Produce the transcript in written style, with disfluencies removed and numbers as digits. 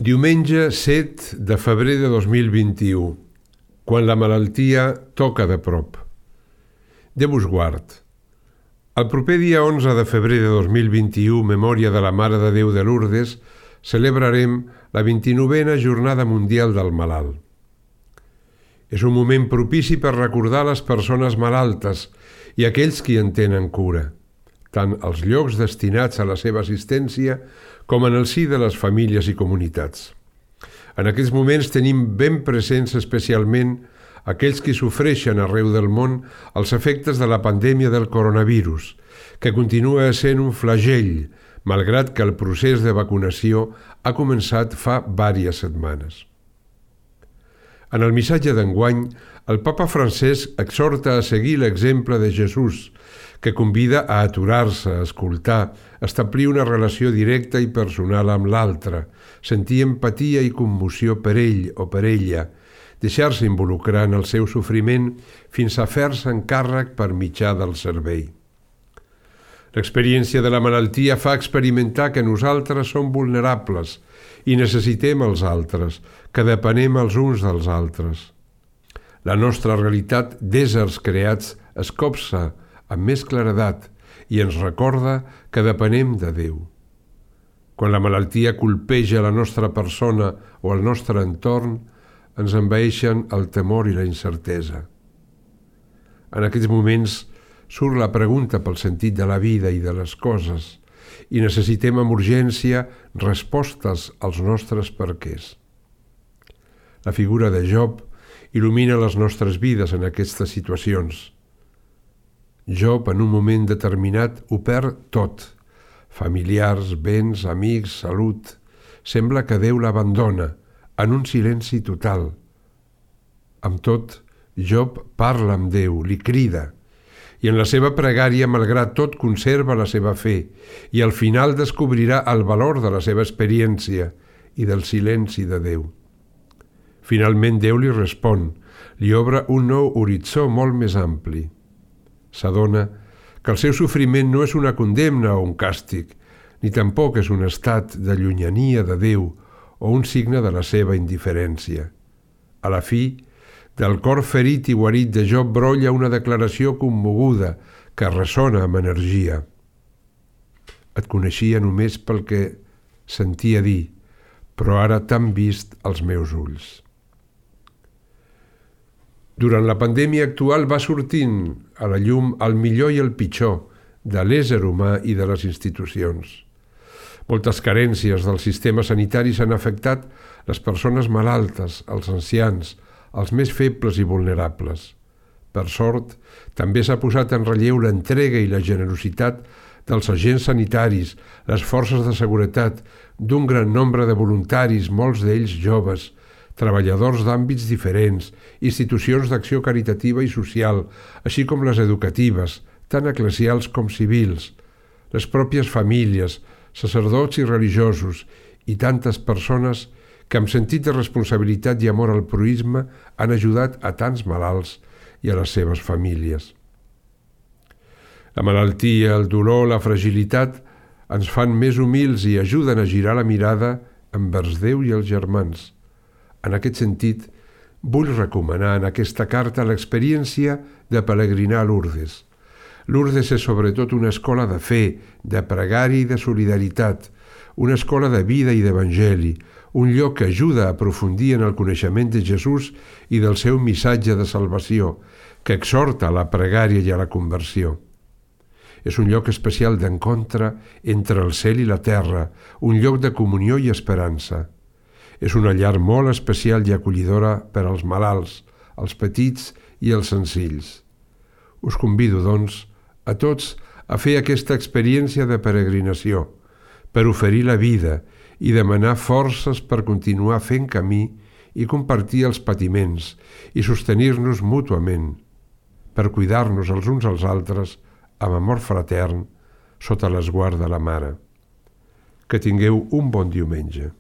Diumenge 7 de febrer de 2021, quan la malaltia toca de prop. Déu us guard. El proper dia 11 de febrer de 2021, memòria de la Mare de Déu de Lourdes, celebrarem la 29a Jornada Mundial del Malalt. És un moment propici per recordar les persones malaltes i aquells qui en tenen cura, tant als llocs destinats a la seva assistència com en el si de les famílies i comunitats. En aquests moments tenim ben presents especialment aquells qui sofreixen arreu del món els efectes de la pandèmia del coronavirus, que continua sent un flagell, malgrat que el procés de vacunació ha començat fa diverses setmanes. En el missatge d'enguany, el Papa Francesc exhorta a seguir l'exemple de Jesús, que convida a aturar-se, a escoltar, a establir una relació directa i personal amb l'altre, sentir empatia i commoció per ell o per ella, deixar-se involucrar en el seu sofriment fins a fer-se encàrrec per mitjà del servei. L'experiència de la malaltia fa experimentar que nosaltres som vulnerables i necessitem els altres, que depenem els uns dels altres. La nostra realitat d'éssers creats es copsa amb més claredat i ens recorda que depenem de Déu. Quan la malaltia colpeja la nostra persona o el nostre entorn, ens envaeixen el temor i la incertesa. En aquests moments surt la pregunta pel sentit de la vida i de les coses i necessitem amb urgència respostes als nostres perquès. La figura de Job il·lumina les nostres vides en aquestes situacions. Job, en un moment determinat, ho perd tot: familiars, béns, amics, salut. Sembla que Déu l'abandona, en un silenci total. Amb tot, Job parla amb Déu, li crida, i en la seva pregària, malgrat tot, conserva la seva fe, i al final descobrirà el valor de la seva experiència i del silenci de Déu. Finalment Déu li respon, li obre un nou horitzó molt més ampli. S'adona que el seu sofriment no és una condemna o un càstig, ni tampoc és un estat de llunyania de Déu o un signe de la seva indiferència. A la fi, del cor ferit i guarit de Job brolla una declaració commoguda que ressona amb energia. Et coneixia només pel que sentia dir, però ara t'han vist els meus ulls. Durant la pandèmia actual va sortint a la llum el millor i el pitjor de l'ésser humà i de les institucions. Moltes carències del sistema sanitari s'han afectat les persones malaltes, els ancians, els més febles i vulnerables. Per sort, també s'ha posat en relleu l'entrega i la generositat dels agents sanitaris, les forces de seguretat, d'un gran nombre de voluntaris, molts d'ells joves, treballadors d'àmbits diferents, institucions d'acció caritativa i social, així com les educatives, tant eclesials com civils, les pròpies famílies, sacerdots i religiosos i tantes persones que amb sentit de responsabilitat i amor al proïsme han ajudat a tants malalts i a les seves famílies. La malaltia, el dolor, la fragilitat ens fan més humils i ajuden a girar la mirada envers Déu i els germans. En aquest sentit, vull recomanar en aquesta carta l'experiència de peregrinar a Lourdes. Lourdes és sobretot una escola de fe, de pregària i de solidaritat, una escola de vida i d'evangeli, un lloc que ajuda a aprofundir en el coneixement de Jesús i del seu missatge de salvació, que exhorta a la pregària i a la conversió. És un lloc especial d'encontre entre el cel i la terra, un lloc de comunió i esperança. És una llar molt especial i acollidora per als malalts, als petits i als senzills. Us convido, doncs, a tots a fer aquesta experiència de peregrinació, per oferir la vida i demanar forces per continuar fent camí i compartir els patiments i sostenir-nos mútuament, per cuidar-nos els uns als altres amb amor fratern sota l'esguard de la Mare. Que tingueu un bon diumenge.